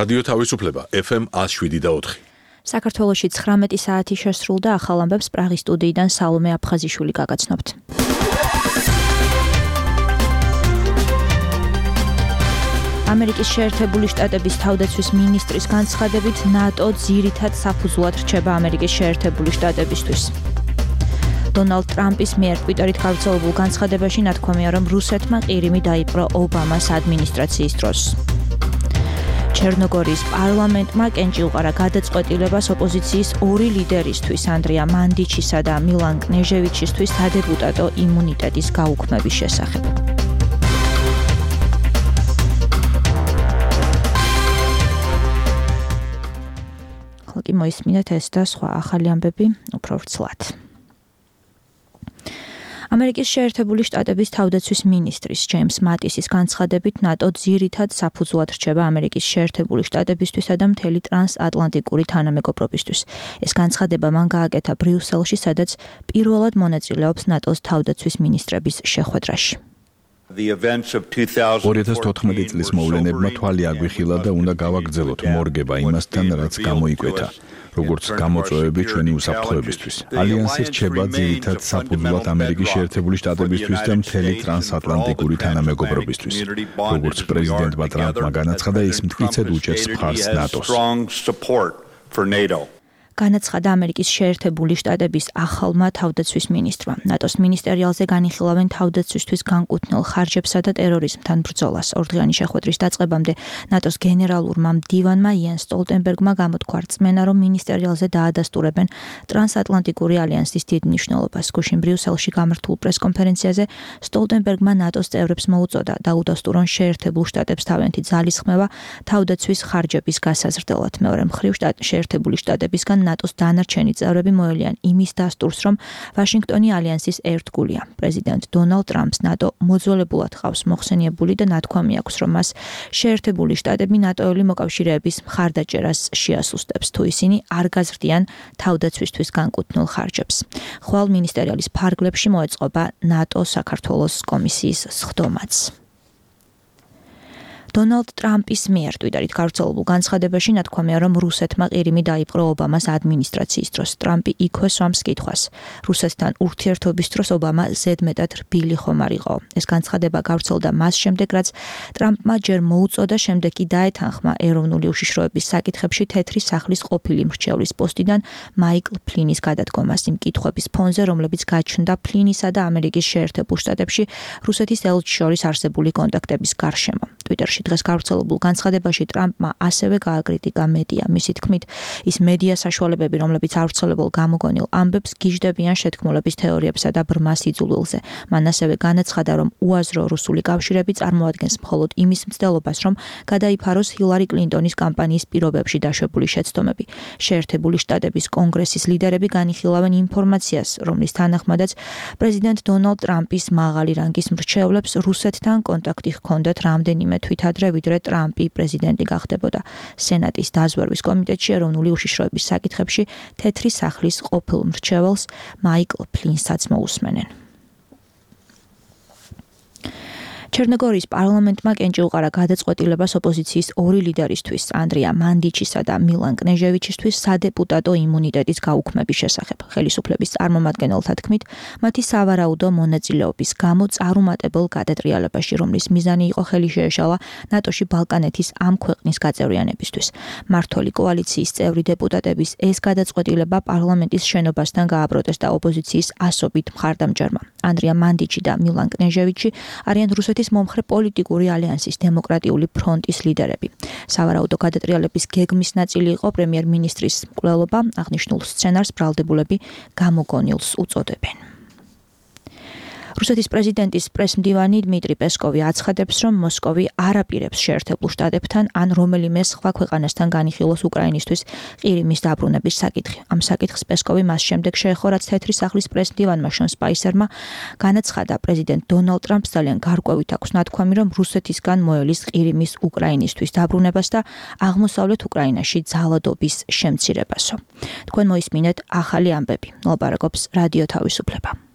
რადიო თავისუფლება FM 107.4. საქართველოში 19 საათი შესრულდა, ახალ ამბებს პრაღის სტუდიიდან სალომე აფხაზიშვილი გაგაცნობთ. ამერიკის შეერთებული შტატების თავდაცვის მინისტრის განცხადებით, ნატო ძირითად საფუძვლად რჩება ამერიკის შეერთებული შტატებისთვის. დონალდ ტრამპის მიერ ტვიტერით გავრცელებულ განცხადებაში ნათქვამია, რომ რუსეთმა ყირიმი დაიპყრო ობამას ადმინისტრაციის დროს. ჩერნოგორიის პარლამენტმა კენჭი უყარა გადაწყვეტილებას ოპოზიციის ორი ლიდერისთვის, ანდრია მანდიჩისა და მილან კნეჟევიჩისთვის სადეპუტატო იმუნიტეტის გაუქმების შესახებ. ხალხი მოისმინეთ ეს და სხვა ახალი ამბები უფრო ვრცლად. ამერიკის შეერთებული შტატების თავდაცვის მინისტრის ჯეიმს მატისის განცხადებით, ნატო ძირითად საფუძვლად რჩება ამერიკის შეერთებული შტატებისთვისა და მთელი ტრანსატლანტიკური თანამეგობრობისთვის. ეს განცხადება მან გააკეთა ბრიუსელში, სადაც პირველად მონაწილეობს ნატოს თავდაცვის მინისტრების შეხვედრაში. 2014 წლის მოვლენებმა თვალი აგვიხილა და უნდა გავაგრძელოთ მორგება იმასთან, რაც გამოიკვეთა. როგორც გამოწვევები ჩვენი უსაფრთხოებისთვის. ალიანსი რჩება ძირითად საფუძვლად ამერიკის შეერთებული შტატებისთვის და მთელი ტრანსატლანტიკური თანამეგობრობისთვის. როგორც პრეზიდენტმა ტრამპმა განაცხადა, ის მტკიცედ უჭერს მხარს ნატოს. განაცხადა ამერიკის შეერთებული შტატების ახალმა თავდაცვის მინისტრმა. ნატოს მინისტერიალზე განიხილავენ თავდაცვისთვის განკუთვნილ ხარჯებსა და ტერორიზმთან ბრძოლას. ორდღიანი შეხვედრის დაწყებამდე ნატოს გენერალურმა მდივანმა იენ სტოლტენბერგმა გამოთქვა რწმენა, რომ მინისტერიალზე დაადასტურებენ ტრანსატლანტიკური ალიანსის დიდ მნიშვნელობას. გუშინ ბრიუსელში გამართულ პრესკონფერენციაზე სტოლტენბერგმა ნატოს წევრებს მოუწოდა დაუდასტურონ შეერთებულ შტატებს თავიანთი ძალისხმევა თავდაცვის ხარჯების გასაზრდელად. მეორე მხრივ შეერთებული შტატებისგან ნატოს დანარჩენი წევრები მოელიან იმის დასტურს, რომ ვაშინგტონი ალიანსის ერთგულია. პრეზიდენტ დონალდ ტრამპს ნატო მოძველებულად ყავს მოხსენიებული და ნათქვამი აქვს, რომ მას შეერთებული შტატები ნატოელი მოკავშირეების მხარდაჭერას შეასუსტებს, თუ ისინი არ გაზრდიან თავდაცვისთვის განკუთვნილ ხარჯებს. ხვალ მინისტერიალის ფარგლებში მოეწყობა ნატო საქართველოს კომისიის სხდომაც. დონალდ ტრამპის მიერ ტვიტერით გავრცელებულ განცხადებაში ნათქვამია, რომ რუსეთმა ყირიმი დაიპყრო ობამას ადმინისტრაციის დროს. ტრამპი იქვე სვამს კითხვას. რუსეთთან ურთიერთობის დროს ობამა ზედმეტად რბილი ხომ არ იყო. ეს განცხადება გავრცელდა მას შემდეგ, რაც ტრამპმა ჯერ მოუწოდა, შემდეგ კი დაეთანხმა ეროვნული უშიშროების საკითხებში თეთრი სახლის ყოფილი მრჩევლის პოსტიდან მაიკლ ფლინის გადადგომას იმ კითხვების ფონზე, რომლებიც გაჩნდა ფლინისა და ამერიკის შეერთებულ შტატებში რუსეთის ელჩის შორის არსებული კონტაქტების გარშემო. ტვიტერში დღეს გავრცელებულ განცხადებაში ტრამპმა ასევე გააკრიტიკა მედია. მისი თქმით, ის მედია საშუალებები, რომლებიც ავრცელებელ გამოგონილ ამბებს გიჟდებიან შეთქმულების თეორიებსა და ბრმა სიძულვილზე. მან ასევე განაცხადა, რომ უაზრო რუსული კავშირები წარმოადგენს მხოლოდ იმის მცდელობას, რომ გადაიფაროს ჰილარი კლინტონის კამპანიის პირობებში დაშვებული შეცდომები. შეერთებული შტატების კონგრესის ლიდერები განიხილავენ ინფორმაციას, რომლის თანახმადაც პრეზიდენტ დონალდ ტრამპის მაღალი რანგის მრჩევლებს რუსეთთან კონტაქტი ჰქონდათ რამდენიმე თვით ადრე, ვიდრე ტრამპი პრეზიდენტი გახდებოდა. სენატის დაზვერვის კომიტეტში ეროვნული უშიშროების საკითხებში თეთრი სახლის ყოფილ მრჩეველს მაიკლ ფლინსაც მოусმენენ. ჩერნოგორიის პარლამენტმა კენჭი უყარა გადაწყვეტილებას ოპოზიციის ორი ლიდერისთვის, ანდრია მანდიჩისა და მილან კნეჟევიჩისთვის სადეპუტატო იმუნიტეტის გაუქმების შესახებ. ხელისუფლების წარმომადგენელთა თქმით, მათი სავარაუდო მონაწილეობის გამო წარუმატებელ გადატრიალებაში, რომლის მიზანი იყო ხელი შეეშალა ნატოში ბალკანეთის ამ ქვეყნის გაწევრიანებისთვის. მმართველი კოალიციის წევრი დეპუტატების ეს გადაწყვეტილება პარლამენტის შენობასთან გააპროტესტა ოპოზიციის ასობით მხარდამჭერმა. ანდრია მანდიჩი და მილან კნეჟევიჩი არიან რუსეთის მომხრე პოლიტიკური ალიანსის დემოკრატიული ფრონტის ლიდერები. სავარაუდო გადატრიალების გეგმის ნაწილი იყო პრემიერ-მინისტრის მკვლელობა, აღნიშნულ სცენარს ბრალდებულები გამოგონილს უწოდებენ. რუსეთის პრეზიდენტის პრესმდივანი დმიტრი პესკოვი აცხადებს, რომ მოსკოვი არ აპირებს შეერთებულ შტატებთან ან რომელიმე სხვა ქვეყანასთან განიხილოს უკრაინისთვის ყირიმის დაბრუნების საკითხი. ამ საკითხს პესკოვი მას შემდეგ შეეხო, რაც თეთრი სახლის პრესმდივანმა შონ სპაისერმა განაცხადა, პრეზიდენტ დონალდ ტრამპს ძალიან გარკვევით აქვს ნათქვამი, რომ რუსეთისგან მოელის ყირიმის უკრაინისთვის დაბრუნებას და აღმოსავლეთ უკრაინაში ძალადობის შემცირებასო. თქვენ მოისმინეთ ახალი ამბები. მოლაპარაკობს რადიო თავისუფლება.